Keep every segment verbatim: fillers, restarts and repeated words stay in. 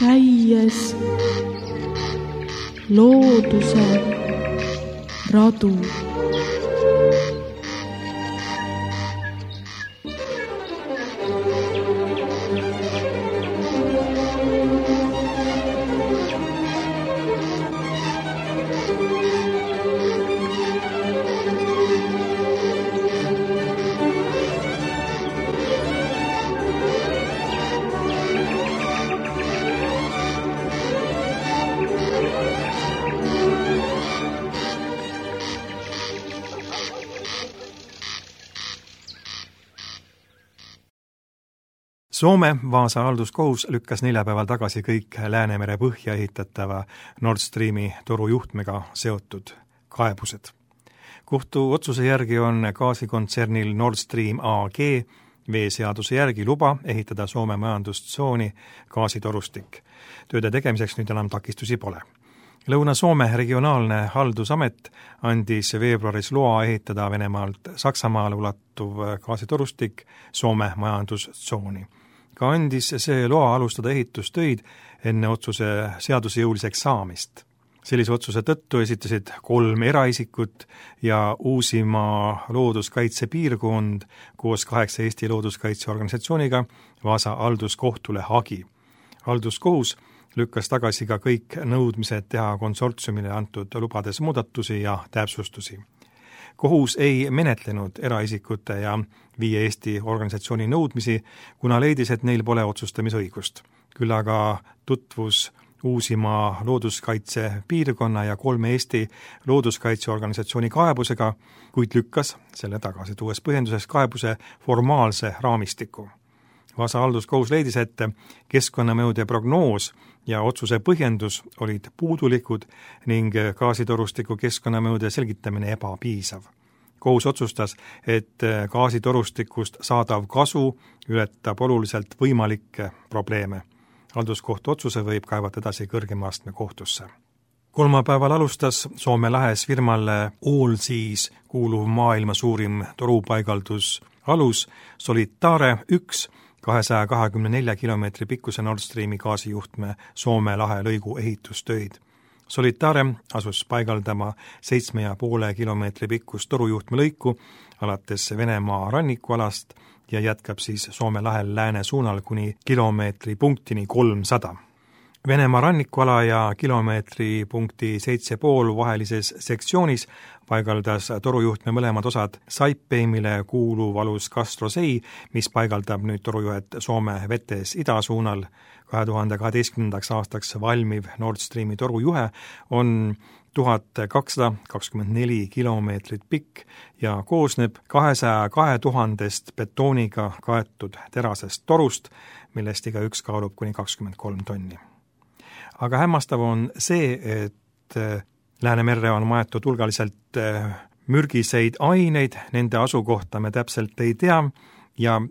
käies looduse radu. Soome Vaasa halduskohus lükkas neljapäeval tagasi kõik Läänemere põhja ehitatava Nord Streami torujuhtmega seotud kaebused. Kohtu otsuse järgi on gaasikontsernil Nord Stream A G veeseaduse järgi luba ehitada Soome majandustsooni gaasitorustik. Tööde tegemiseks nüüd enam takistusi pole. Lõuna-Soome regionaalne haldusamet andis veebruaris loa ehitada Venemaalt Saksamaale ulatuv gaasitorustik Soome majandustsooni. Ka andis see loa alustada ehitustöid enne otsuse seadusejõuliseks saamist. Sellise otsuse tõttu esitasid kolm eraisikut ja Uusimaa looduskaitsepiirkond koos kaheksa Eesti looduskaitseorganisatsiooniga Vaasa halduskohtule hagi. Halduskohus lükkas tagasi ka kõik nõudmised teha konsortsiumile antud lubades muudatusi ja täpsustusi. Kohus ei menetlenud eraisikute ja viie Eesti organisatsiooni nõudmisi, kuna leidis, et neil pole otsustamisõigust. Küll aga tutvus Uusimaa looduskaitsepiirkonna ja kolme Eesti looduskaitseorganisatsiooni kaebusega, kuid lükkas selle tagasi, tuues põhjenduseks kaebuse formaalse raamistiku. Vaasa halduskohus leidis, et keskkonnamõjude prognoos ja otsuse põhjendus olid puudulikud ning gaasitorustiku keskkonnamõjude selgitamine ebapiisav. Kohus otsustas, et gaasitorustikust saadav kasu ületab oluliselt võimalikke probleeme. Halduskohtu otsuse võib kaevata edasi kõrgema astme kohtusse. Kolmapäeval alustas Soome lahes firmale Allseas kuuluv maailma suurim torupaigaldus alus Solitaare üks kahesaja kahekümne nelja kilomeetri pikkuse Nord Streami gaasijuhtme Soome lahe lõigu ehitustöid. Solitaare asus paigaldama seitsme ja poole kilomeetri pikkust torujuhtme lõiku alates Venemaa rannikualast ja jätkab siis Soome lahel lääne suunal kuni kilomeetri punktini kolmsada. Venemaa rannikuala ja kilomeetri punkti seitse pool vahelises sektsioonis paigaldas torujuhtme mõlemad osad Saipeimile kuuluv alus Kastrosei, mis paigaldab nüüd torujuhet Soome vetes idasuunal. kahe tuhande kaheteistkümnendaks aastaks valmiv Nord Streami torujuhe on tuhat kakssada kakskümmend neli kilomeetrit pikk ja koosneb kahesaja kahe tuhandest betooniga kaetud terasest torust, millest iga üks kaalub kuni kakskümmend kolm tonni. Aga hämmastav on see, et Läänemerre on maetud hulgaliselt mürgiseid aineid, nende asukohta me täpselt ei tea ja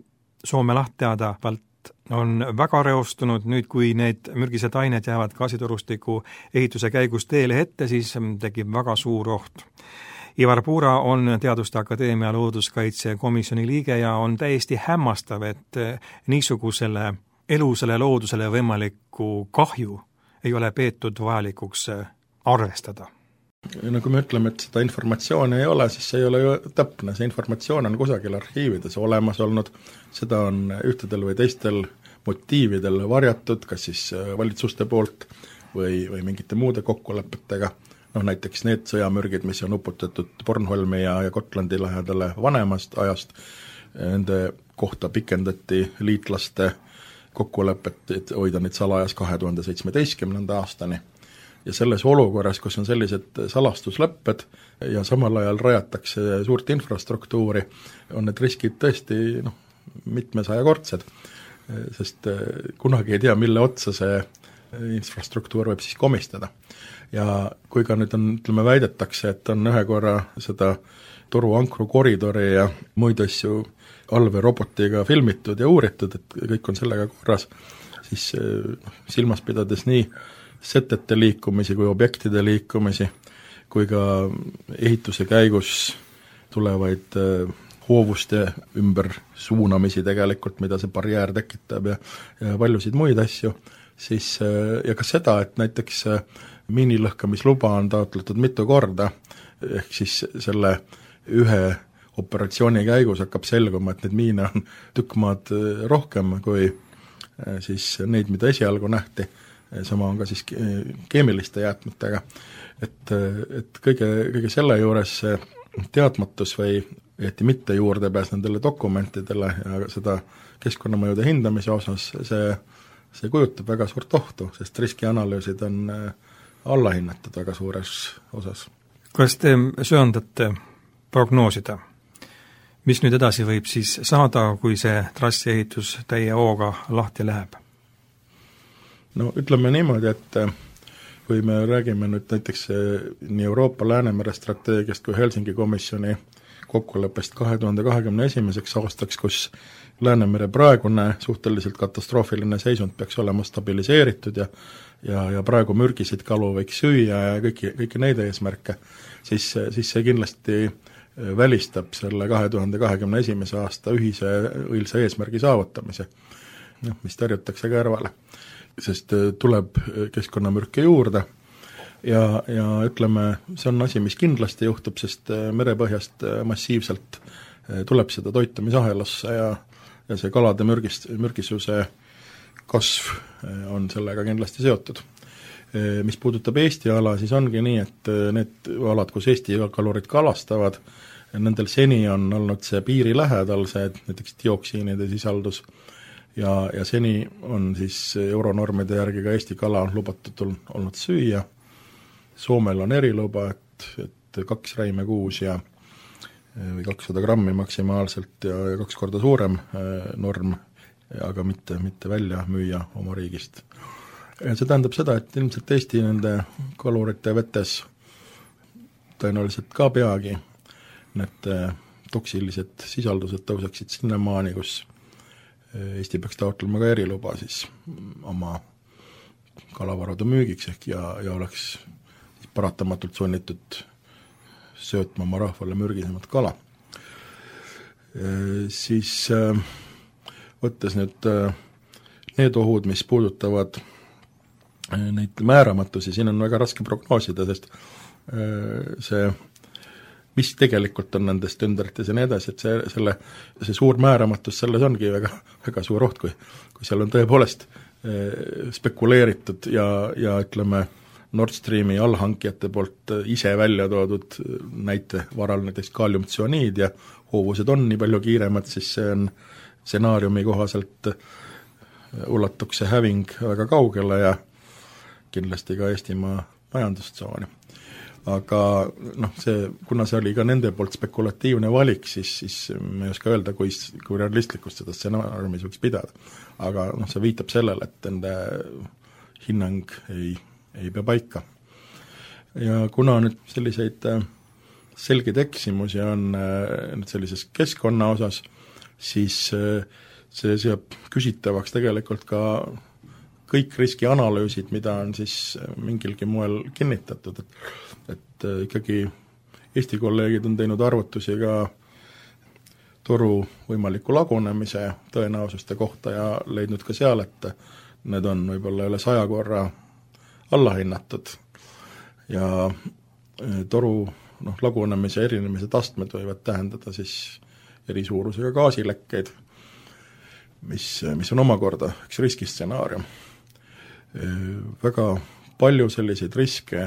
Soome laht teadavalt on väga reostunud. Nüüd, kui need mürgised ained jäävad gaasitorustiku ehituse käigus teele ette, siis tekib väga suur oht. Ivar Puura on Teaduste Akadeemia looduskaitsekomisjoni liige ja on täiesti hämmastav, et niisugusele elusele loodusele võimalikku kahju ei ole peetud vajalikuks arvestada. No kui me ütleme, et seda informatsiooni ei ole, siis see ei ole ju täpne. See informatsioon on kusagil arhiivides olemas olnud, seda on ühtedel või teistel motiividel varjatud, kas siis valitsuste poolt või, või mingite muude kokkulepetega. No näiteks need sõjamürgid, mis on uputatud Bornholmi ja, ja Gotlandi lähedale vanemast ajast, nende kohta pikendati liitlaste kokkulepet, et hoida neid salajas kahe tuhande seitsmeteistkümnenda aastani. Ja selles olukorras, kus on sellised salastuslepped ja samal ajal rajatakse suurt infrastruktuuri, on need riskid tõesti noh, mitmesajakordsed, sest kunagi ei tea, mille otsa see infrastruktuur võib siis komistada. Ja kui ka nüüd on, ütleme, väidetakse, et on ühe korra seda toruankru koridori ja muid asju allveerobotiga filmitud ja uuritud, et kõik on sellega korras, siis noh, silmas pidades nii setete liikumisi kui objektide liikumisi, kui ka ehituse käigus tulevaid hoovuste ümber suunamisi tegelikult, mida see barjäär tekitab ja, ja paljusid muid asju, siis ja ka seda, et näiteks miinilõhkamisluba on taotletud mitu korda, ehk siis selle ühe operatsiooni käigus hakkab selguma, et neid miine on tükk maad rohkem kui siis neid, mida esialgu nähti, sama on ka siis keemiliste jäätmetega. Et, et kõige, kõige selle juures teadmatus või jäeti mitte juurdepääs nendele dokumentidele ja seda keskkonnamõjude hindamise osas, see, see kujutab väga suurt ohtu, sest riskianalüüsid on allahinnatud väga suures osas. Kas te söandate prognoosida, mis nüüd edasi võib siis saada, kui see trassiehitus täie hooga lahti läheb? No ütleme niimoodi, et kui me räägime nüüd näiteks nii Euroopa Läänemere strateegiast kui Helsingi komisjoni kokkuleppest kahe tuhande kahekümne esimeseks aastaks, kus Läänemere praegune suhteliselt katastroofiline seisund peaks olema stabiliseeritud ja ja, ja praegu mürgiseid kalu võiks süüa ja kõiki, kõiki neid eesmärke, siis, siis see kindlasti välistab selle kahe tuhande kahekümne esimese aasta ühise õilsa eesmärgi saavutamise, noh, mis tõrjutakse kõrvale, sest tuleb keskkonnamürke juurde ja, ja ütleme, see on asi, mis kindlasti juhtub, sest merepõhjast massiivselt tuleb seda toitumisahelasse ja, ja see kalade mürgist, mürgisuse kasv on sellega kindlasti seotud. Mis puudutab Eesti ala, siis ongi nii, et need alad, kus Eesti kalurid kalastavad, nendel seni on olnud see piiri lähedal, see näiteks dioksiinide sisaldus ja, ja seni on siis euronormide järgi ka Eesti kala lubatud olnud süüa. Soomel on eriluba, et, et kaks räime kuus ja või kakssada grammi maksimaalselt ja, ja kaks korda suurem norm, aga mitte, mitte välja müüa oma riigist. Ja see tähendab seda, et ilmselt Eesti nende kalurite vetes tõenäoliselt ka peagi need toksilised sisaldused tõuseksid sinnamaani, kus Eesti peaks taotlema ka eriluba siis oma kalavarude müügiks ehk ja, ja oleks paratamatult sunnitud söötma oma rahvale mürgisemat kala. E, siis võttes nüüd need ohud, mis puudutavad neid määramatusi, siin on väga raske prognoosida, sest see, mis tegelikult on nendest ündrites ja nii edasi, et see, selle, see suur määramatus, selles ongi väga, väga suur oht, kui, kui seal on tõepoolest spekuleeritud ja, ja ütleme, Nord Streami allhankijate poolt ise välja toodud näite varal näiteks kaaliumtsüaniid ja hoovused on nii palju kiiremad, siis see on stsenaariumi kohaselt ulatuks see häving väga kaugele ja kindlasti ka Eestimaa majandustsooni. Aga noh, see, kuna see oli ka nende poolt spekulatiivne valik, siis, siis me ei oska öelda, kui, kui realistlikust seda stsenaariumis võiks pidada. Aga noh, see viitab sellele, et nende hinnang ei, ei pea paika. Ja kuna nüüd selliseid selgeid eksimusi on nüüd sellises keskkonna osas, siis see seab küsitavaks tegelikult ka kõik riskianalüüsid, mida on siis mingilgi moel kinnitatud, et, et ikkagi Eesti kolleegid on teinud arvutusi ka toru võimaliku lagunemise tõenäosuste kohta ja leidnud ka seal, et need on võib-olla üle saja korra allahinnatud ja toru noh, lagunemise erinemise tastmed võivad tähendada siis eri suurusega gaasilekkeid, mis, mis on omakorda üks riskistsenaarium. Väga palju selliseid riske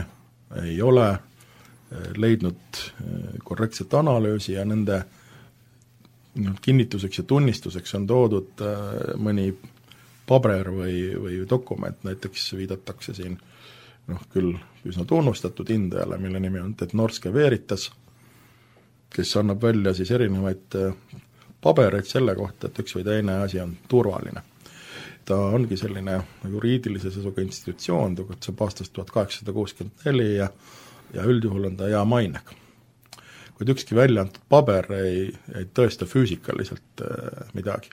ei ole leidnud korrektset analüüsi ja nende kinnituseks ja tunnistuseks on toodud mõni paber või, või dokument, näiteks viidatakse siin noh, küll üsna tunnustatud hindajale, mille nimi on Norske Veritas, kes annab välja siis erinevaid pabereid selle kohta, et üks või teine asi on turvaline. Ta ongi selline juriidilise seisuga institutsioon, tegutseb aastast tuhat kaheksasada kuuskümmend neli ja, ja üldjuhul on ta hea mainega. Kuid ükski välja antud paber ei, ei tõesta füüsikaliselt midagi.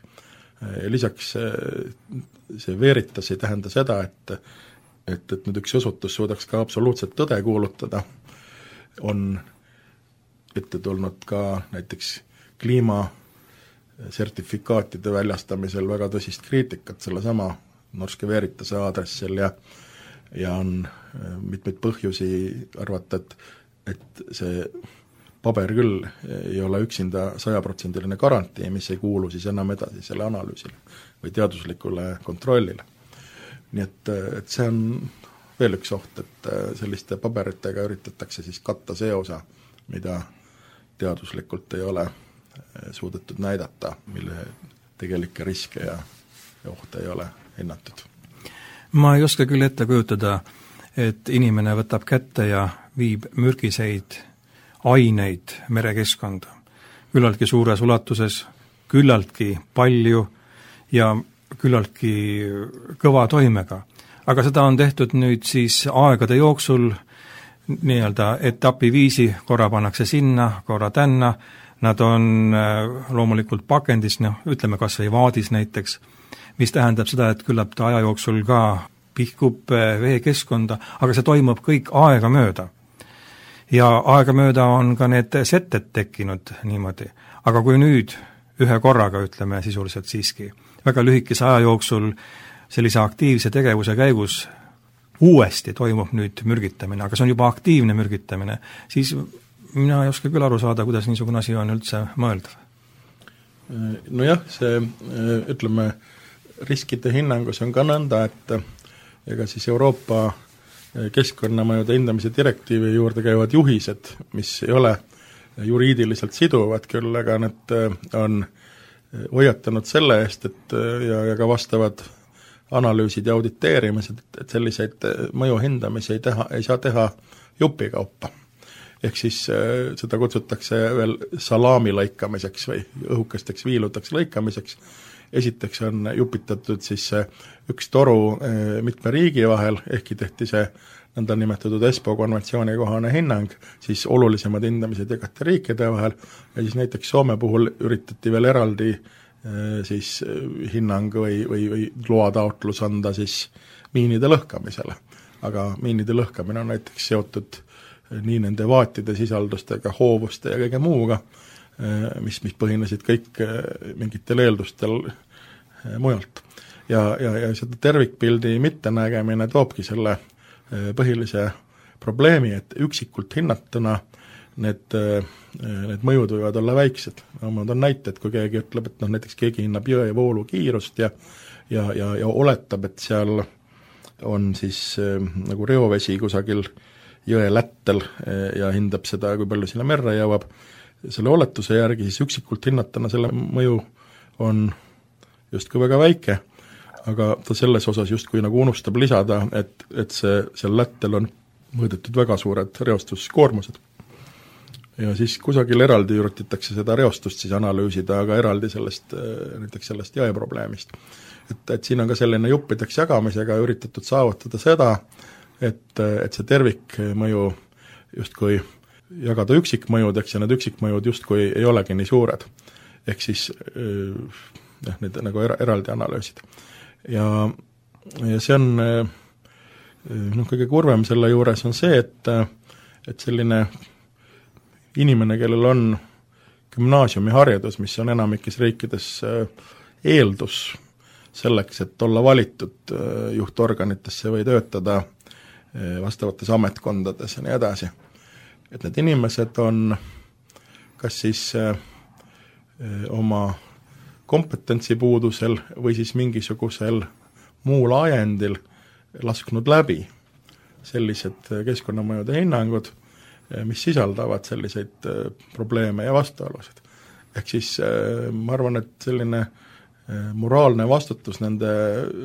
Lisaks see Veritas ei tähenda seda, et, et, et nüüd üks osutus suudaks ka absoluutselt tõde kuulutada, on ette tulnud ka näiteks kliima sertifikaatide väljastamisel väga tõsist kriitikat sellesama Norske Veritase aadressil ja ja on mitmeid põhjusi arvata, et, et see paber küll ei ole üksinda sajaprotsendiline garantii, mis ei kuulu siis enam edasi selle analüüsile või teaduslikule kontrollile. Nii et, et see on veel üks oht, et selliste paberitega üritatakse siis katta see osa, mida teaduslikult ei ole suudetud näidata, mille tegelikke riske ja, ja ohte ei ole hinnatud. Ma ei oska küll ette kujutada, et inimene võtab kätte ja viib mürgiseid aineid merekeskkonda. Küllaltki suures ulatuses, küllaltki palju ja küllaltki kõva toimega. Aga seda on tehtud nüüd siis aegade jooksul nii-öelda etapi viisi, korra pannakse sinna, korra tänna, nad on loomulikult pakendis, noh, ütleme kas või vaadis näiteks, mis tähendab seda, et küllap ta aja jooksul ka pihkub veekeskkonda, aga see toimub kõik aega mööda. Ja aega mööda on ka need setted tekkinud niimoodi. Aga kui nüüd ühe korraga, ütleme sisuliselt siiski, väga lühikese aja jooksul sellise aktiivse tegevuse käigus uuesti toimub nüüd mürgitamine, aga see on juba aktiivne mürgitamine, siis mina ei oska küll aru saada, kuidas niisugune asi on üldse mõeldav. Nojah, see, ütleme, riskide hinnangus on ka nõnda, et ega siis Euroopa keskkonnamõjude hindamise direktiivi juurde käivad juhised, mis ei ole juriidiliselt siduvad küll, aga need on hoiatanud selle eest, et ja, ja ka vastavad analüüsid ja auditeerimised, et selliseid mõju hindamisi ei, teha, ei saa teha jupikaupa. Ehk siis seda kutsutakse veel salaami lõikamiseks või õhukesteks viiludeks lõikamiseks. Esiteks on jupitatud siis üks toru mitme riigi vahel, ehkki tehti see nõnda nimetatud ESPO konventsiooni kohane hinnang, siis olulisemad hindamised jagati riikide vahel ja siis näiteks Soome puhul üritati veel eraldi siis hinnang või, või, või loataotlus anda siis miinide lõhkamisele. Aga miinide lõhkamine on näiteks seotud nii nende vaatide sisaldustega, hoovuste ja kõige muuga, mis, mis põhinesid kõik mingitel eeldustel mujalt. Ja, ja, ja seda tervikpildi mittenägemine toobki selle põhilise probleemi, et üksikult hinnatuna need, need mõjud võivad olla väiksed. No, on näited, kui keegi ütleb, et noh, näiteks keegi hinnab jõe voolu kiirust ja, ja, ja, ja oletab, et seal on siis nagu reovesi kusagil jõe lättel ja hindab seda, kui palju sinna merre jõuab. Selle oletuse järgi siis üksikult hinnatuna selle mõju on justkui väga väike, aga ta selles osas justkui nagu unustab lisada, et, et see, seal lättel on mõõdetud väga suured reostuskoormused. Ja siis kusagil eraldi üritatakse seda reostust siis analüüsida, aga eraldi sellest, näiteks sellest jõeprobleemist. Et, et siin on ka selline juppideks jagamisega üritatud saavutada seda, et, et see tervikmõju justkui jagada üksikmõjudeks ja need üksikmõjud justkui ei olegi nii suured. Ehk siis jah, need nagu er, eraldi analüüsid. Ja, ja see on noh, kõige kurvem selle juures on see, et, et selline inimene, kellel on gümnaasiumiharidus, mis on enamikes riikides eeldus selleks, et olla valitud juhtorganitesse või töötada vastavates ametkondades ja nii edasi. Et need inimesed on kas siis äh, oma kompetentsi puudusel või siis mingisugusel muul ajendil lasknud läbi sellised keskkonnamõjude hinnangud, mis sisaldavad selliseid äh, probleeme ja vastuolusid. Ehk siis äh, ma arvan, et selline äh, moraalne vastutus nende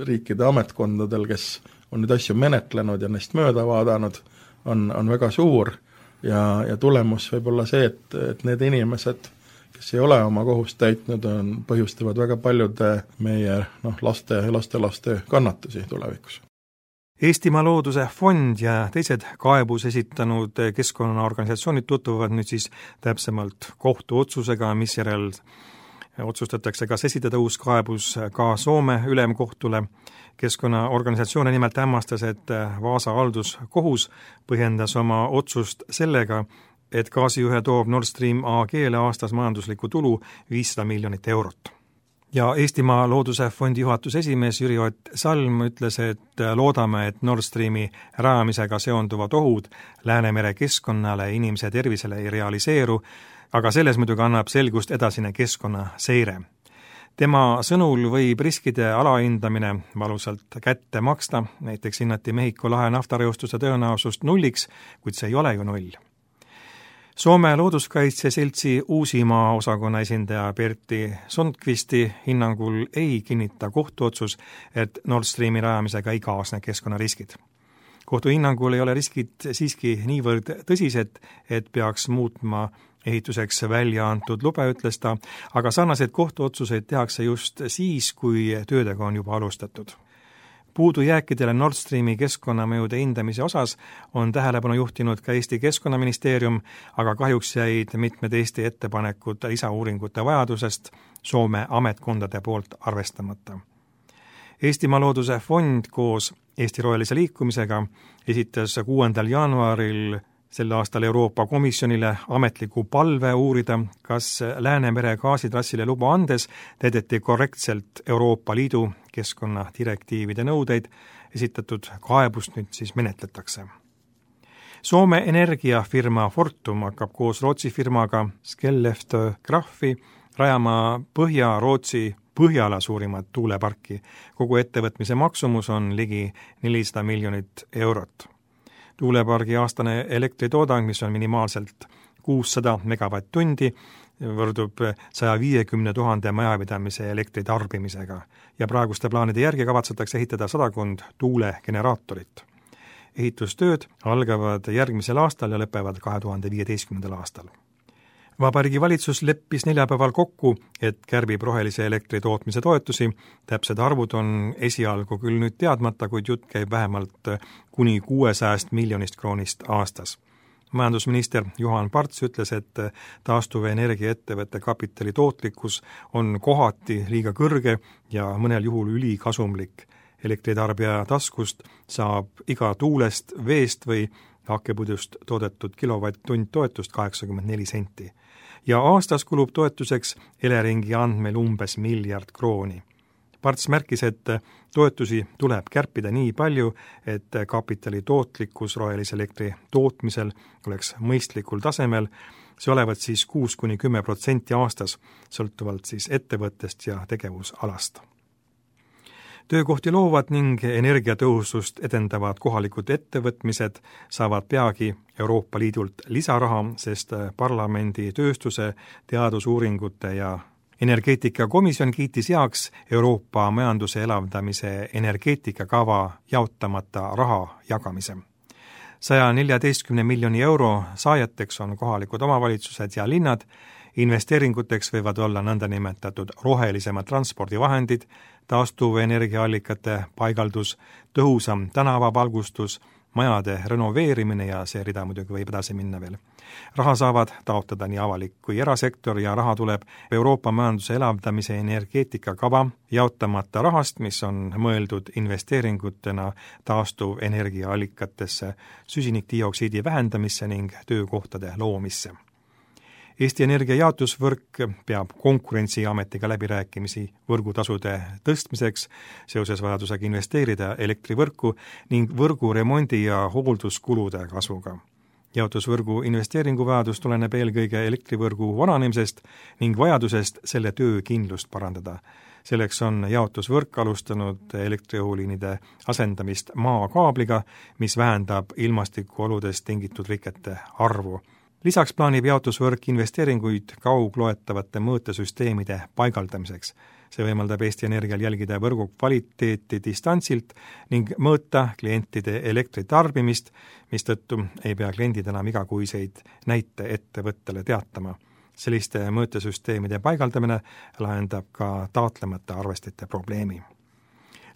riikide ametkondadel, kes on neid asju menetlenud ja neist mööda vaadanud, on, on väga suur ja, ja tulemus võib olla see, et, et need inimesed, kes ei ole oma kohust täitnud, on, põhjustavad väga paljude meie noh, laste ja lastelaste kannatusi tulevikus. Eestimaa Looduse Fond ja teised kaebus esitanud keskkonnaorganisatsioonid tutvuvad nüüd siis täpsemalt kohtuotsusega, mis järel otsustatakse, kas esitada uus kaebus ka Soome ülemkohtule. Keskkonnaorganisatsioone nimelt hämmastas, et Vaasa halduskohus põhjendas oma otsust sellega, et gaasijuhe toob Nord Stream A G-le aastas majanduslikku tulu viissada miljonit eurot. ja Eestimaa Looduse Fondi juhatuse esimees Jüri Ott Salm ütles, et loodame, et Nord Streami rajamisega seonduvad ohud Läänemere keskkonnale ja inimese tervisele ei realiseeru, aga selles muidugi annab selgust edasine keskkonnaseire. Tema sõnul võib riskide alahindamine valusalt kätte maksta, näiteks hinnati Mehhiko lahe naftareostuse tõenäosust nulliks, kuid see ei ole ju null. Soome looduskaitse seltsi Uusimaa osakonna esindaja Pertti Sundqvisti hinnangul ei kinnita kohtuotsus, et Nord Streami rajamisega ei kaasne keskkonnariskid. Kohtu hinnangul ei ole riskid siiski niivõrd tõsised, et peaks muutma ehituseks välja antud lube, ütles ta, aga sarnaseid kohtuotsuseid tehakse just siis, kui töödega on juba alustatud. Puudujääkidele Nord Streami keskkonnamõjude hindamise osas on tähelepanu juhtinud ka Eesti Keskkonnaministeerium, aga kahjuks jäid mitmed Eesti ettepanekud lisauuringute vajadusest Soome ametkondade poolt arvestamata. Eestimaa Looduse Fond koos Eesti Rohelise Liikumisega esitas kuuendal jaanuaril sel aastal Euroopa Komisjonile ametliku palve uurida, kas Läänemere gaasitrassile luba andes täideti korrektselt Euroopa Liidu keskkonnadirektiivide nõudeid, esitatud kaebust nüüd siis menetletakse. Soome energiafirma Fortum hakkab koos Rootsi firmaga Skellefteå Kraft rajama Põhja-Rootsi Põhjala suurimat tuuleparki. Kogu ettevõtmise maksumus on ligi nelisada miljonit eurot. Tuulepargi aastane elektritoodang, mis on minimaalselt kuussada megavatt-tundi, võrdub saja viiekümne tuhande majapidamise elektritarbimisega ja praeguste plaanide järgi kavatsetakse ehitada sadakond tuulegeneraatorit. Ehitustööd algavad järgmisel aastal ja lõpevad kahe tuhande viieteistkümnendal aastal. Vabariigi valitsus leppis neljapäeval kokku, et kärbib rohelise elektri tootmise toetusi. Täpsed arvud on esialgu küll nüüd teadmata, kuid jutt käib vähemalt kuni kuuesajast miljonist kroonist aastas. Majandusminister Juhan Parts ütles, et taastuva energiaettevõtte kapitali tootlikkus on kohati liiga kõrge ja mõnel juhul ülikasumlik. Elektritarbija taskust saab iga tuulest, veest või hakkepudust toodetud kilovatt-tund toetust kaheksakümmend neli senti. Ja aastas kulub toetuseks Eleringi andmel umbes miljard krooni. Parts märkis, et toetusi tuleb kärpida nii palju, et kapitali tootlikkus rohelise elektri tootmisel oleks mõistlikul tasemel, see olevat siis kuus kuni kümme protsenti aastas, sõltuvalt siis ettevõttest ja tegevusalast. Töökohti loovad ning energiatõhusust edendavad kohalikud ettevõtmised saavad peagi Euroopa Liidult lisaraha, sest parlamendi tööstuse, teadusuuringute ja energeetikakomisjon kiitis heaks Euroopa majanduse elavdamise energeetikakava jaotamata raha jagamise. saja neljateistkümne miljoni euro saajateks on kohalikud omavalitsused ja linnad. Investeeringuteks võivad olla nõndanimetatud rohelisemad transpordivahendid, taastuv energiaallikate paigaldus, tõhusam tänavavalgustus, majade renoveerimine ja see rida muidugi võib edasi minna veel. Raha saavad taotleda nii avalik kui erasektor ja raha tuleb Euroopa majanduse elavdamise energeetikakava jaotamata rahast, mis on mõeldud investeeringutena taastuv energiaallikatesse, süsinikdioksiidi vähendamisse ning töökohtade loomisse. Eesti Energia jaotusvõrk peab Konkurentsiametiga läbirääkimisi võrgutasude tõstmiseks seoses vajadusega investeerida elektrivõrku ning võrgu remondi ja hoolduskulude kasvuga. Jaotusvõrgu investeeringuvajadus tuleneb eelkõige elektrivõrgu vananemisest ning vajadusest selle töökindlust parandada. Selleks on jaotusvõrk alustanud elektriõhuliinide asendamist maakaabliga, mis vähendab ilmastikuoludest tingitud rikete arvu. Lisaks plaanib jaotusvõrk investeeringuid kaugloetavate mõõtesüsteemide paigaldamiseks. See võimaldab Eesti Energial jälgida võrgu kvaliteeti distantsilt ning mõõta klientide elektritarbimist, mistõttu ei pea kliendid enam igakuiseid näite ettevõttele teatama. Selliste mõõtesüsteemide paigaldamine lahendab ka taotlemata arvestite probleemi.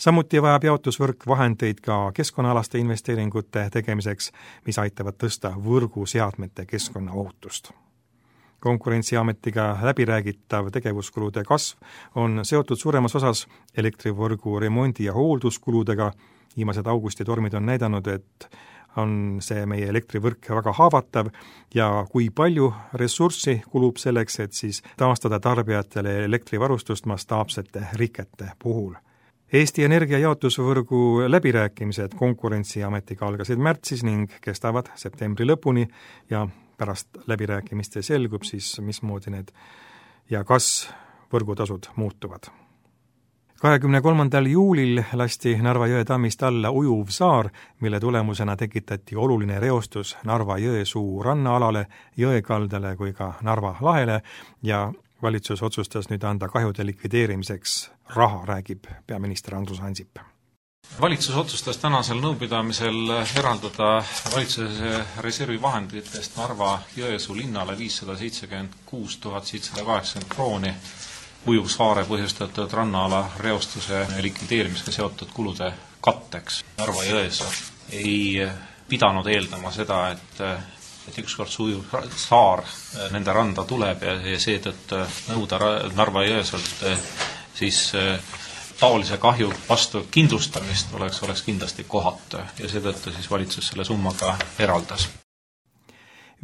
Samuti vajab jaotusvõrk vahendeid ka keskkonnaalaste investeeringute tegemiseks, mis aitavad tõsta võrguseadmete keskkonnaohutust. Konkurentsiametiga läbiräägitav tegevuskulude kasv on seotud suuremas osas elektrivõrgu remondi- ja hoolduskuludega, Viimased augusti tormid on näidanud, et on see meie elektrivõrk väga haavatav ja kui palju ressurssi kulub selleks, et siis taastada tarbijatele elektrivarustust mastaapsete rikete puhul. Eesti Energia jaotusvõrgu läbirääkimised Konkurentsiametiga algasid märtsis ning kestavad septembri lõpuni ja pärast läbirääkimiste selgub siis, mismoodi need ja kas võrgutasud muutuvad. kahekümne kolmandal juulil lasti Narva jõe tammist alla ujuv saar, mille tulemusena tekitati oluline reostus Narva jõesuu rannaalale, jõekaldale kui ka Narva lahele ja valitsus otsustas nüüd anda kahjude likvideerimiseks raha, räägib peaminister Andrus Ansip. Valitsus otsustas tänasel nõupidamisel eraldada valitsuse reservi vahenditest Narva jõesuu linnale viissada seitsekümmend kuus tuhat seitsesada kaheksakümmend krooni ujuvsaare põhjustatud rannaala reostuse likvideerimisega seotud kulude katteks. Narva jões ei pidanud eeldama seda, et, et ükskord see ujuv saar nende randa tuleb ja, ja seetõttu nõuda Narva jõeselt siis taolise kahju vastu kindlustamist oleks, oleks kindlasti kohatu ja seetõttu siis valitsus selle summaga eraldas.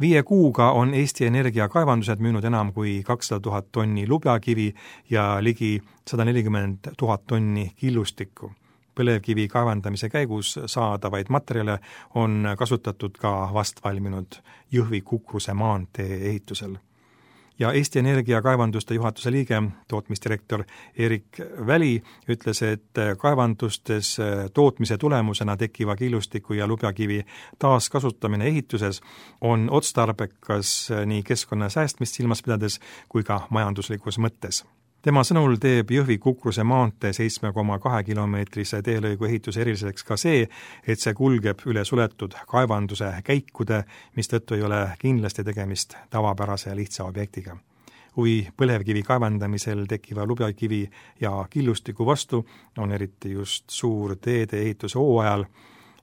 Viie kuuga on Eesti Energia kaevandused müünud enam kui kakssada tuhat tonni lubjakivi ja ligi sada nelikümmend tuhat tonni killustikku. Põlevkivi kaevandamise käigus saadavaid materjale on kasutatud ka vast valminud Jõhvi-Kukruse maantee ehitusel. Ja Eesti Energia kaevanduste juhatuse liige, tootmisdirektor Erik Väli ütles, et kaevandustes tootmise tulemusena tekkiva killustiku ja lubjakivi taaskasutamine ehituses on otstarbekas nii keskkonna säästmist silmas pidades kui ka majanduslikus mõttes. Tema sõnul teeb Jõhvi-Kukruse maantee seitsme koma kahe kilomeetrise teelõigu ehituse eriliseks ka see, et see kulgeb üle suletud kaevanduse käikude, mistõttu ei ole kindlasti tegemist tavapärase lihtsa objektiga. Huvi põlevkivi kaevandamisel tekkiva lubjakivi ja killustiku vastu on eriti just suur teede ehituse hooajal.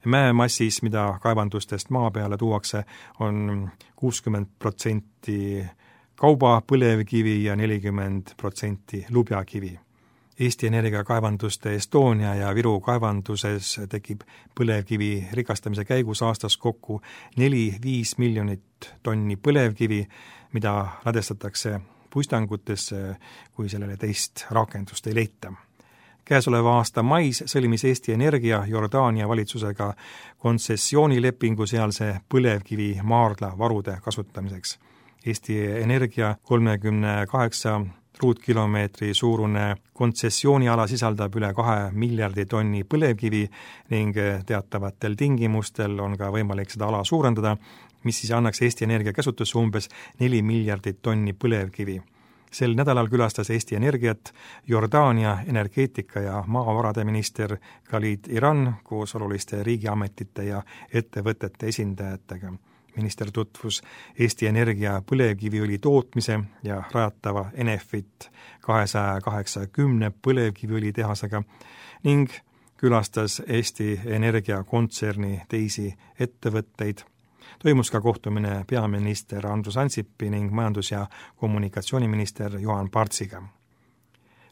Mäemassis, mida kaevandustest maa peale tuuakse, on kuuskümmend protsenti kauba põlevkivi ja nelikümmend protsenti lubjakivi. Eesti Energia kaevanduste Estonia ja Viru kaevanduses tekib põlevkivi rikastamise käigus aastas kokku neli kuni viis miljonit tonni põlevkivi, mida ladestatakse puistangutesse, kui sellele teist rakendust ei leita. Käesoleva aasta mais sõlmis Eesti Energia Jordaania valitsusega kontsessioonilepingu sealse põlevkivi maardla varude kasutamiseks. Eesti Energia kolmekümne kaheksa ruutkilomeetri suurune kontsessiooniala sisaldab üle kahe miljardi tonni põlevkivi ning teatavatel tingimustel on ka võimalik seda ala suurendada, mis siis annaks Eesti Energia käsutusse umbes neli miljardit tonni põlevkivi. Sel nädalal külastas Eesti Energiat Jordaania energeetika ja maavarade minister Khalid Iran koos oluliste riigiametite ja ettevõtete esindajatega. Minister tutvus Eesti Energia põlevkiviõli tootmise ja rajatava Enefit kahesaja kaheksakümne põlevkiviõli tehasega ning külastas Eesti Energia kontserni teisi ettevõtteid. Toimus ka kohtumine peaminister Andrus Ansipi ning majandus- ja kommunikatsiooniminister Juhan Partsiga.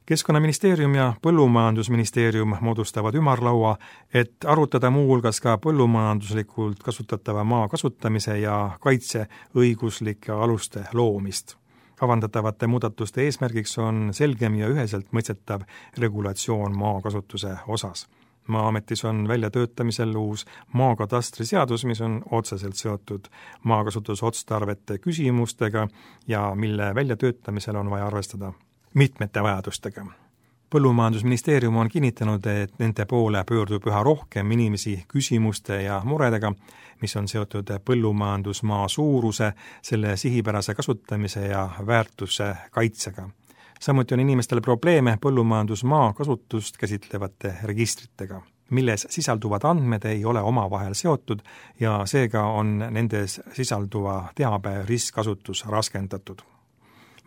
Keskkonnaministeerium ja Põllumajandusministeerium moodustavad ümarlaua, et arutada muu hulgas ka põllumajanduslikult kasutatava maa kasutamise ja kaitse õiguslike aluste loomist. Kavandatavate muudatuste eesmärgiks on selgem ja üheselt mõistetav regulatsioon maakasutuse osas. Maa-ametis on väljatöötamisel uus maakatastriseadus, mis on otseselt seotud maakasutusotstarvete küsimustega ja mille väljatöötamisel on vaja arvestada mitmete vajadustega. Põllumajandusministeerium on kinnitanud, et nende poole pöördub üha rohkem inimesi küsimuste ja muredega, mis on seotud põllumajandusmaa suuruse, selle sihipärase kasutamise ja väärtuse kaitsega. Samuti on inimestel probleeme põllumajandusmaa kasutust käsitlevate registritega, milles sisalduvad andmed ei ole omavahel seotud ja seega on nendes sisalduva teabe ristkasutus raskendatud.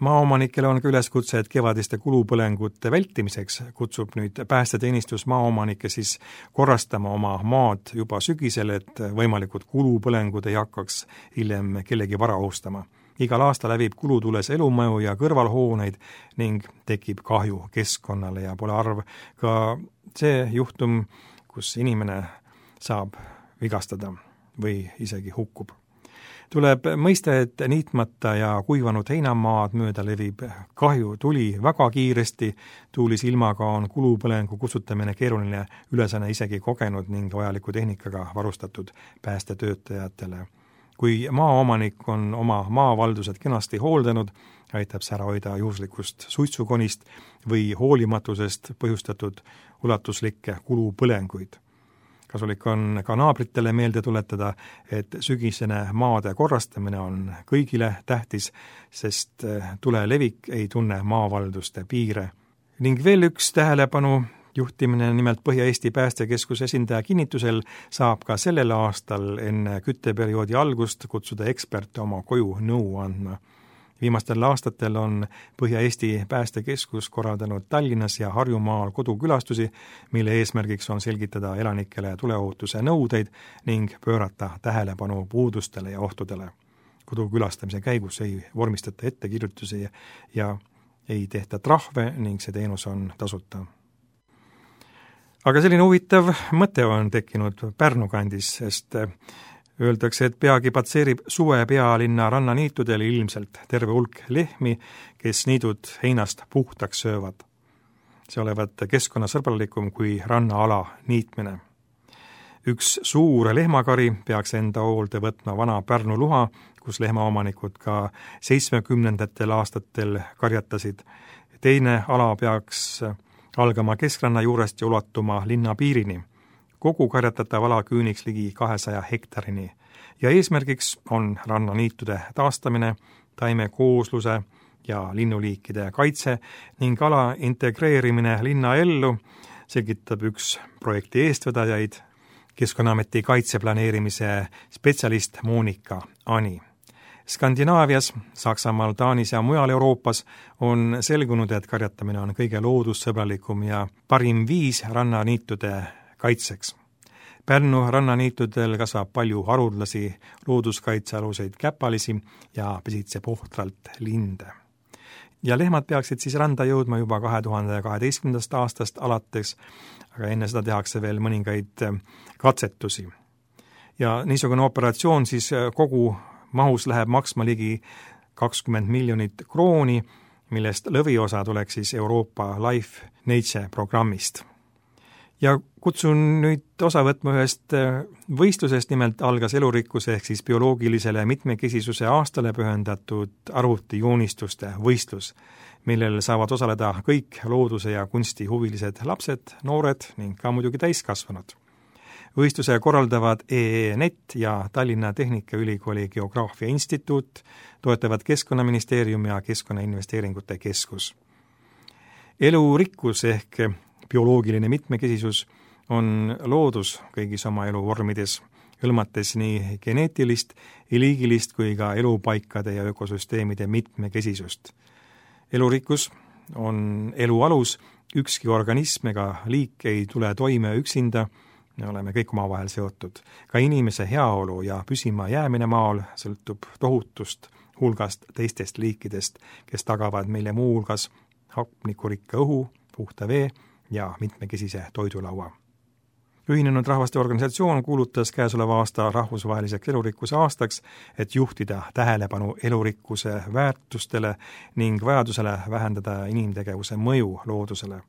Maaomanikele on ka üleskutse, et kevadiste kulupõlengute vältimiseks kutsub nüüd päästeteenistus maaomanikke siis korrastama oma maad juba sügisel, et võimalikud kulupõlengud ei hakkaks hiljem kellegi vara ohustama. Igal aasta läbib kulutules elumaju ja kõrvalhooneid ning tekib kahju keskkonnale ja pole arv ka see juhtum, kus inimene saab vigastada või isegi hukkub. Tuleb mõista, et niitmata ja kuivanud heinamaad mööda levib kahju tuli väga kiiresti, tuulis ilmaga on kulupõlengu kustutamine keeruline ülesanne isegi kogenud ning vajaliku tehnikaga varustatud päästetöötajatele. Kui maaomanik on oma maavaldused kenasti hooldanud, aitab see ära hoida juhuslikust suitsukonist või hoolimatusest põhjustatud ulatuslikke kulupõlenguid. Kasulik on ka naabritele meelde tuletada, et sügisene maade korrastamine on kõigile tähtis, sest tule levik ei tunne maavalduste piire. Ning veel üks tähelepanu juhtimine, nimelt Põhja-Eesti Päästekeskuse esindaja kinnitusel saab ka sellel aastal enne kütteperioodi algust kutsuda eksperte oma koju nõu andma. Viimastel aastatel on Põhja-Eesti Päästekeskus korraldanud Tallinnas ja Harjumaal kodukülastusi, mille eesmärgiks on selgitada elanikele tuleohutuse nõudeid ning pöörata tähelepanu puudustele ja ohtudele. Kodukülastamise käigus ei vormistata ettekirjutusi ja ei tehta trahve ning see teenus on tasuta. Aga selline huvitav mõte on tekkinud Pärnu kandis, sest öeldakse, et peagi patseerib suve pealinna rannaniitudel ilmselt terve hulk lehmi, kes niidud heinast puhtaks söövad. See olevat keskkonnasõbralikum kui rannaala niitmine. Üks suur lehmakari peaks enda hoolde võtma vana Pärnu luha, kus lehmaomanikud ka seitsmekümnendatel aastatel karjatasid. Teine ala peaks algama keskranna juurest ja ulatuma linna piirini. Kogu karjatatav ala küüniks ligi kahesaja hektarini ja eesmärgiks on rannaniitude taastamine, taimekoosluse ja linnuliikide kaitse ning ala integreerimine linna ellu, selgitab üks projekti eestvedajaid, Keskkonnaameti kaitseplaneerimise spetsialist Monika Ani. Skandinaavias, Saksamaal, Taanis ja mujal Euroopas on selgunud, et karjatamine on kõige loodussõbralikum ja parim viis rannaniitude kaitseks. Pärnu rannaniitudel kasvab palju haruldasi looduskaitsealuseid käpalisi ja pesitseb ohtralt linde. Ja lehmad peaksid siis randa jõudma juba kahe tuhande kaheteistkümnendast aastast alates, aga enne seda tehakse veel mõningaid katsetusi. Ja niisugune operatsioon siis kogu mahus läheb maksma ligi kakskümmend miljonit krooni, millest lõviosa tuleks siis Euroopa Life Nature programmist. Ja kutsun nüüd osa võtma ühest võistlusest, nimelt algas elurikkuse ehk siis bioloogilisele mitmekesisuse aastale pühendatud arvutijoonistuste võistlus, millel saavad osaleda kõik looduse ja kunsti huvilised lapsed, noored ning ka muidugi täiskasvanud. Võistluse korraldavad E E Net ja Tallinna Tehnikaülikooli Geograafia Instituut, toetavad Keskkonnaministeerium ja Keskkonnainvesteeringute Keskus. Elurikkus ehk bioloogiline mitmekesisus on loodus kõigis oma eluvormides, hõlmates nii geneetilist, liigilist kui ka elupaikade ja ökosüsteemide mitmekesisust. Elurikkus on elu alus, ükski organism ega liik ei tule toime üksinda, me oleme kõik omavahel seotud. Ka inimese heaolu ja püsima jäämine maal sõltub tohutust hulgast teistest liikidest, kes tagavad meile muu hulgas hapnikurikka õhu, puhta vee ja mitmekesise toidulaua. Ühinenud Rahvaste Organisatsioon kuulutas käesoleva aasta rahvusvaheliseks elurikkuse aastaks, et juhtida tähelepanu elurikkuse väärtustele ning vajadusele vähendada inimtegevuse mõju loodusele.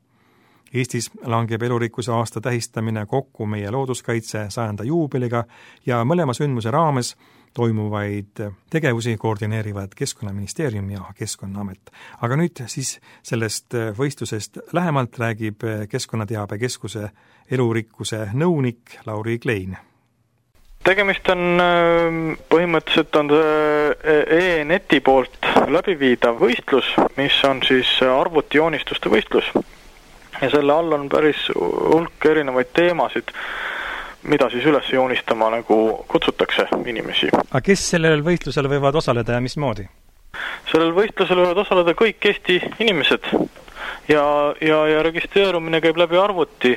Eestis langeb elurikkuse aasta tähistamine kokku meie looduskaitse sajanda juubeliga ja mõlema sündmuse raames toimuvaid tegevusi koordineerivad Keskkonnaministeerium ja Keskkonnaamet. Aga nüüd siis sellest võistlusest lähemalt räägib Keskkonnateabekeskuse elurikkuse nõunik Lauri Klein. Tegemist on põhimõtteliselt on E E Neti poolt läbiviidav võistlus, mis on siis arvutijoonistuste võistlus. Ja selle all on päris hulk erinevaid teemasid, mida siis üles joonistama nagu kutsutakse inimesi. Aga kes sellel võistlusel võivad osaleda ja mismoodi? Sellel võistlusel võivad osaleda kõik Eesti inimesed ja, ja, ja registreerumine käib läbi arvuti.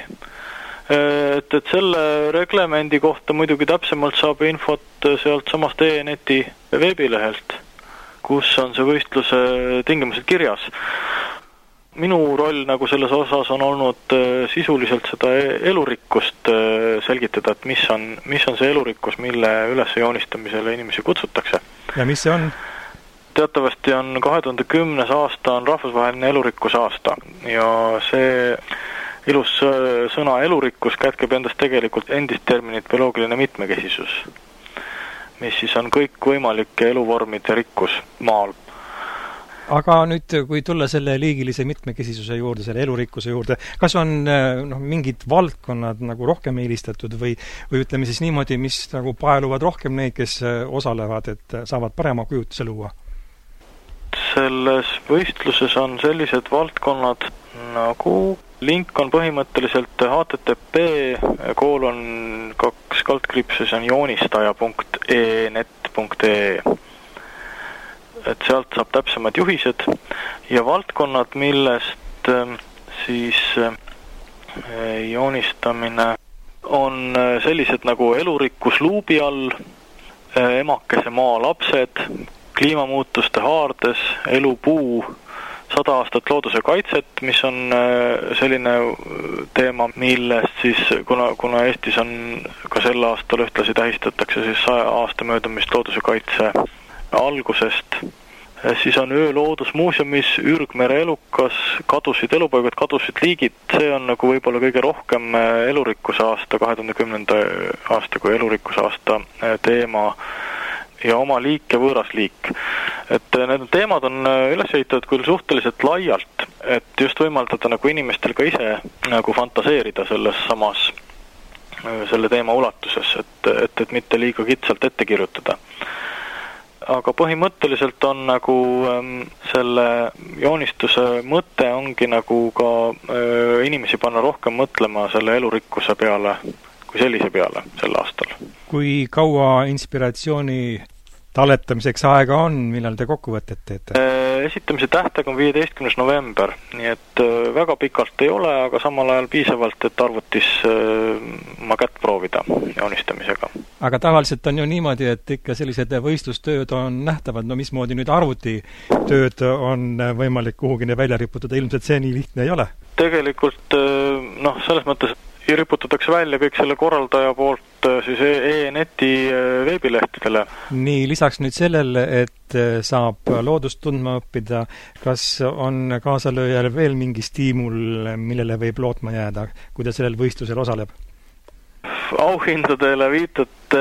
Et, et selle reglemendi kohta muidugi täpsemalt saab infot sealt samast E E Neti veebilehelt, kus on see võistluse tingimused kirjas. minu roll nagu selles osas on olnud sisuliselt seda elurikkust selgitada, et mis on, mis on see elurikkus, mille üles joonistamisele inimesi kutsutakse. Ja mis see on? Teatavasti on kahe tuhande kümnes aasta on rahvusvaheline elurikkuse aasta ja see ilus sõna elurikkus kätkeb endast tegelikult endist terminit bioloogiline mitmekesisus, mis siis on kõik võimalike eluvormide rikkus maal. Aga nüüd, kui tulla selle liigilise mitmekesisuse juurde, selle elurikkuse juurde, kas on no, mingid valdkonnad nagu rohkem eelistatud või, või ütleme siis niimoodi, mis nagu paeluvad rohkem neid, kes osalevad, et saavad parema kujutuse luua? Selles võistluses on sellised valdkonnad nagu link on põhimõtteliselt H T T P koolon kaks kaldkriipsus on joonistaja punkt e net punkt e, et sealt saab täpsemad juhised ja valdkonnad, millest siis joonistamine on sellised nagu elurikkus luubi all, emakese maa lapsed, kliimamuutuste haardes, elupuu, sada aastat looduse kaitset, mis on selline teema, millest siis, kuna, kuna Eestis on ka sel aastal ühtlasi tähistatakse siis saja aasta möödumist looduse kaitse algusest, siis on öö loodusmuuseumis Ürgmere elukas, kadusid elupaigad, kadusid liigid, see on nagu võib-olla kõige rohkem elurikkuse aasta, kahe tuhande kümnenda aasta kui elurikkuse aasta teema ja oma liik ja võõras liik. Et need teemad on üles ehitatud küll suhteliselt laialt, et just võimaldada nagu inimestel ka ise nagu fantaseerida selles samas selle teema ulatuses, et, et, et mitte liiga kitsalt ette kirjutada. Aga põhimõtteliselt on nagu selle joonistuse mõte ongi nagu ka inimesi panna rohkem mõtlema selle elurikkuse peale kui sellise peale sel aastal. Kui kaua inspiratsiooni talletamiseks aega on, millal te kokkuvõtet teete? Esitamise tähtaeg on viieteistkümnes november, nii et väga pikalt ei ole, aga samal ajal piisavalt, et arvutis ma kätt proovida joonistamisega. Aga tavaliselt on ju niimoodi, et ikka sellised võistlustööd on nähtavad, no mismoodi nüüd arvutitööd on võimalik kuhugine välja riputada, ilmselt see nii lihtne ei ole? Tegelikult noh, selles mõttes riputatakse välja kõik selle korraldaja poolt siis e-neti veebilehtedele. Nii, lisaks nüüd sellele, et saab loodust tundma õppida, kas on kaasalööjal veel mingi stiimul, millele võib lootma jääda, kui ta sellel võistlusel osaleb? Auhindadele viitat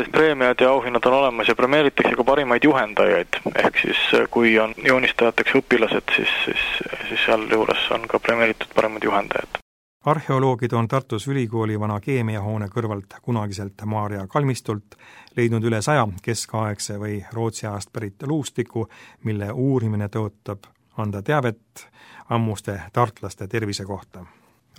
preemiad ja auhinnad on olemas ja premeeritakse ka parimaid juhendajaid, ehk siis kui on joonistajateks õpilased, siis, siis, siis seal juures on ka premeeritud parimad juhendajad. Arheoloogid on Tartus ülikooli vana keemiahoone kõrvalt kunagiselt Maarja kalmistult leidnud üle saja keskaegse või Rootsi ajast pärit luustiku, mille uurimine tõotab anda teavet ammuste tartlaste tervise kohta.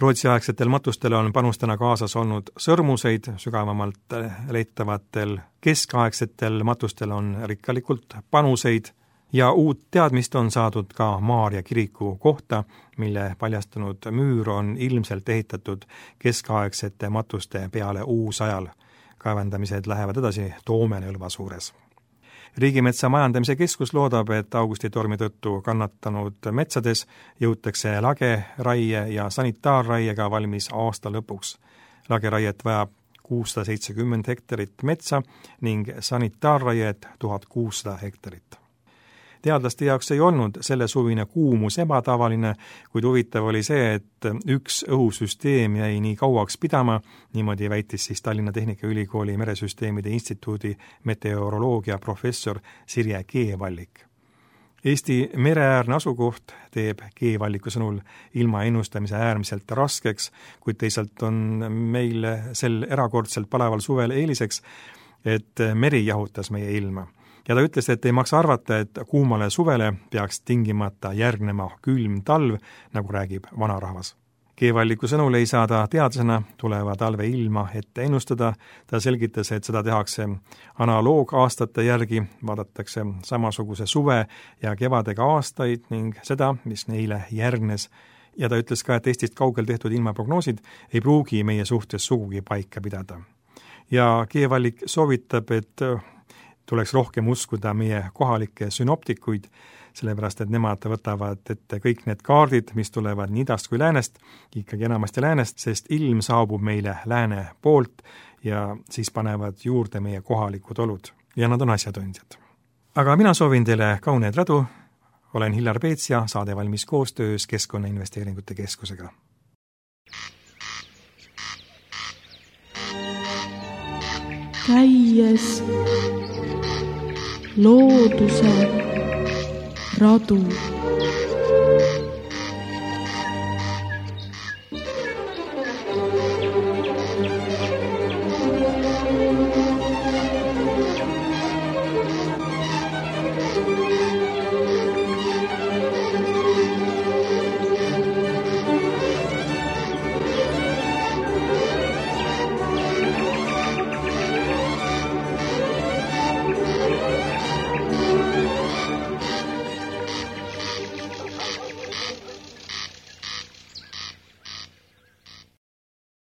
Rootsi-aegsetel matustel on panustena kaasas olnud sõrmuseid, sügavamalt leitavatel keskaegsetel matustel on rikkalikult panuseid ja uut teadmist on saadud ka Maarja kiriku kohta, mille paljastunud müür on ilmselt ehitatud keskaegsete matuste peale uusajal. Kaevandamised lähevad edasi Toomenõlva suures. Riigimetsa majandamise keskus loodab, et augustitormi tõttu kannatanud metsades jõutakse lage, raie ja sanitaarraiega valmis aasta lõpuks. Lageraiet vajab kuussada seitsekümmend hektarit metsa ning sanitaarraiet tuhat kuussada hektarit. Teadlaste jaoks ei olnud selle suvine kuumus ebatavaline, kuid huvitav oli see, et üks õhusüsteem jäi nii kauaks pidama, niimoodi väitis siis Tallinna Tehnikaülikooli Meresüsteemide Instituudi meteoroloogia professor Sirje Keevallik. Eesti mereäärne asukoht teeb Keevalliku sõnul ilma ennustamise äärmiselt raskeks, kuid teisalt on meil sel erakordselt palaval suvel eeliseks, et meri jahutas meie ilma. Ja ta ütles, et ei maksa arvata, et kuumale suvele peaks tingimata järgnema külm talv, nagu räägib vanarahvas. Keevalliku sõnul ei saa ta teadlasena tuleva talve ilma ette ennustada. Ta selgitas, et seda tehakse analoogaastate järgi, vaadatakse samasuguse suve ja kevadega aastaid ning seda, mis neile järgnes. Ja ta ütles ka, et Eestist kaugel tehtud ilmaprognoosid ei pruugi meie suhtes sugugi paika pidada. Ja Keevallik soovitab, et tuleks rohkem uskuda meie kohalikke synoptikuid, sellepärast et nemad võtavad ette kõik need kaardid, mis tulevad nii idast kui läänest, ikkagi enamasti läänest, sest ilm saabub meile lääne poolt ja siis panevad juurde meie kohalikud olud ja nad on asjatundjad. Aga mina soovin teile kauneid radu, olen Hillar Peets ja saade valmis koostöös Keskkonnainvesteeringute Keskusega. Käies looduse radu.